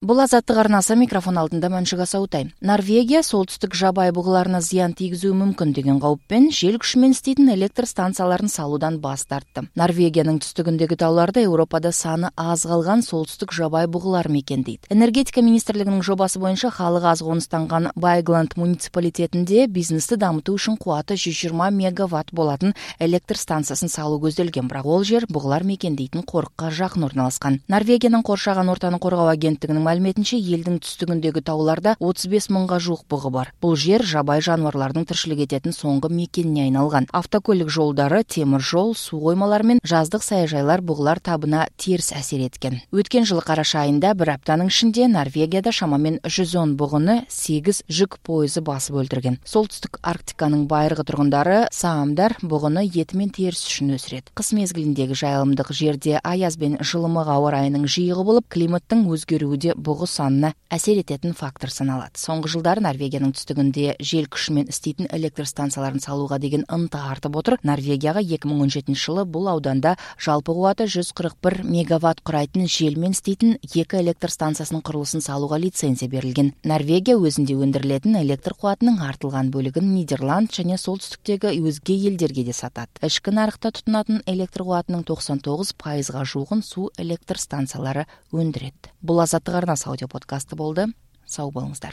Бул Азаттык арнасы, микрофон алдында Маншыга Саутай. Норвегия солтүстүк жабай бугуларына зыян тийгизүү мүмкүн деген кауіппен жел күчү иштейтин электр станцияларын салуудан баш тартты. Норвегиянын түстүгүндөгү тауларда Европада саны аз калган солтүстүк жабай бугулар мекендейт. Энергетика министрлигинин жобасы боюнча халыгы аз конустанган Байгланд муниципалитетинде бизнести дамытуу үчүн кубаты 120 мегаватт болатын электр станциясын салуу көзделген, бирок ол жер бугулар мекендейтин корукка жакын орналаскан. Норвегиянын коршаган ортаны коргоо агенттигинин маалиметинче, элдин түстүгүндөгү тауларда 35 мыңга жук бугу бар. Бул жер жабай жаныбарлардын тирчилик этетін соңку мекенине айналган. Автокөлүк жолдары, темир жол, суу коймалары менен жаздык саяжайлар бугулар табына терс асер эткен. Өткөн жылы караш айында бир аптанын ичинде Норвегияда шамамен 110 бугуну 8 жүк поезу басып өлтүргөн. Солтүстүк Арктиканын байыркы тургундары саамдар бугуну эти менен терс үчүн өсүрөт. Кыш мезгилиндеги жайылымдык жерде аяз бен жылымык аба ырайынын жыйыгы болуп, климаттын өзгөрүүгө бугу санына асер этетін фактор саналат. Соңку жылдары Норвегиянын түстүгүндө жел күчү менен иштейтин электр станцияларын салууга деген ынта артып отур. Норвегияга 2017 жылы бул ауданда жалпы кубаты 141 мегаватт курайтын жел менен иштейтин 2 электр станциясынын курулуусун салууга лицензия берилген. Норвегия өзүндө өндүрүлөтүн электр кубатынын артылган бөлүгүн Нидерланд жана солтүстүктөгү өзге элдерге да сатат. Ички нарыкта тутунатын электр кубатынын 99% жугун суу электр станциялары өндүрөт. Бул Азаттык арнасы аудио подкасты болду. Сау болуңуздар.